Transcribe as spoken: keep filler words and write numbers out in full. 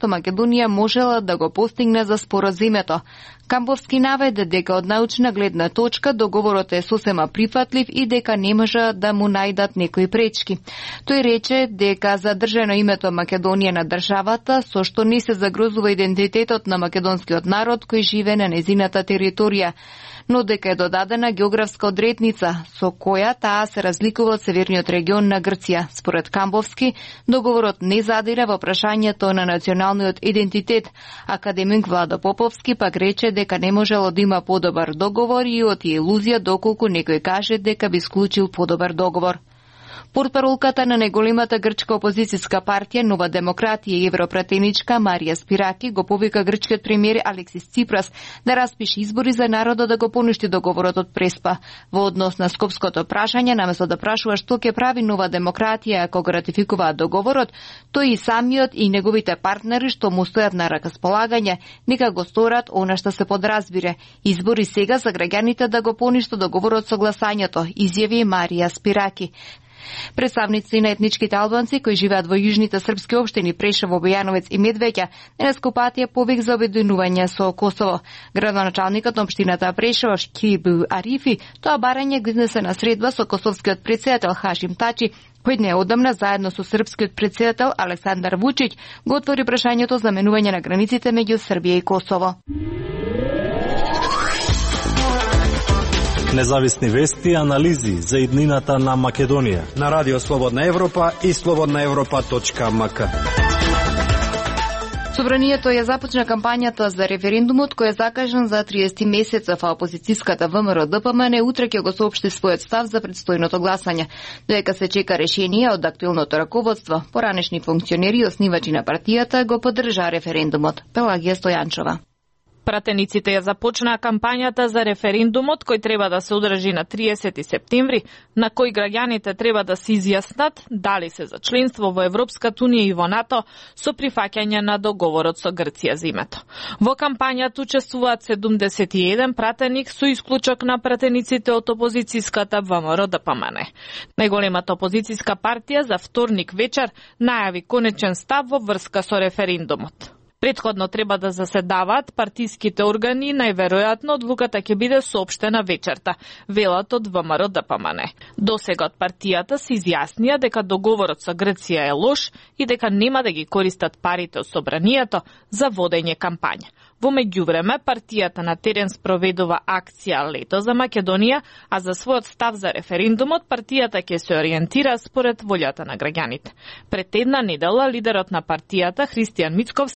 што Македонија можела да го постигне за споразумето. Камповски наведе дека од научна гледна точка договорот е сосема прифатлив и дека не може да му најдат некои пречки. Тој рече дека задржано името Македонија на државата, со што не се загрозува идентитетот на македонскиот народ кој живее на незината територија, но дека е додадена географска одредница со која таа се разликува од северниот регион на Грција. Според Камповски, договорот не задира во прашањето на националниот идентитет. Академик Владо Поповски пак рече дека не можело да има подобар договор и оти илузија доколку некој каже дека би склучил подобар договор. Портпаролката на најголемата грчка опозицијска партија Нова демократија и европратеничка Марија Спираки го повика грчкиот премиер Алексис Ципрас да распише избори за народот да го поништи договорот од Преспа. Во однос на скопското прашање, наместо да прашува што ќе прави Нова демократија ако го ратификуваат договорот, тој и самиот и неговите партнери што му стојат на располагање, нека го сторат она што се подразбире. Избори сега за граѓаните да го поништат договорот со гласањето, изјави Марија Спираки. Представници на етничките албанци кои живеат во јужните српски општини Прешево, Бојановец и Медвеќа денес патија повик за обединување со Косово. Градоначалникот на општината Прешево Шкиб Арифи тоа барање го изнесе на средба со косовскиот претседател Хашим Тачи, кој неодамна заедно со српскиот претседател Александар Вучиќ го отвори прашањето за менување на границите меѓу Србија и Косово. Независни вести и анализи за иднината на Македонија на Радио Слободна Европа и слободна европа точка ем ка. Собранието ја започна кампањата за референдумот кој е закажан за триесет месецов, а опозицијската ВМРО Д П М Н утре ќе го соопшти својот став за предстојното гласање. Доека се чека решение од актуелното раководство, поранешни функционери и основачи на партијата го поддржаа референдумот. Пелагија Стојанчова. Пратениците ја започнаа кампањата за референдумот кој треба да се одржи на триесети септември, на кој граѓаните треба да се изјаснат дали се за членство во Европската унија и во НАТО со прифаќање на договорот со Грција за името. Во кампањата учествуваат седумдесет и еден пратеник со исклучок на пратениците од опозицијската ВМРО Д П М Н. Најголемата опозицијска партија за вторник вечер најави конечен став во врска со референдумот. Претходно треба да заседаваат партиските органи, најверојатно одлуката ќе биде соопштена вечерта, велат од ВМРО Д П М Н. Досега од партијата се изјаснија дека договорот со Грција е лош и дека нема да ги користат парите од собранието за водење кампања. Во меѓувреме, партијата на терен спроведува акција Лето за Македонија, а за својот став за референдумот партијата ќе се ориентира според волјата на граѓаните. Пред една недела лидерот на партијата Христијан Мицковски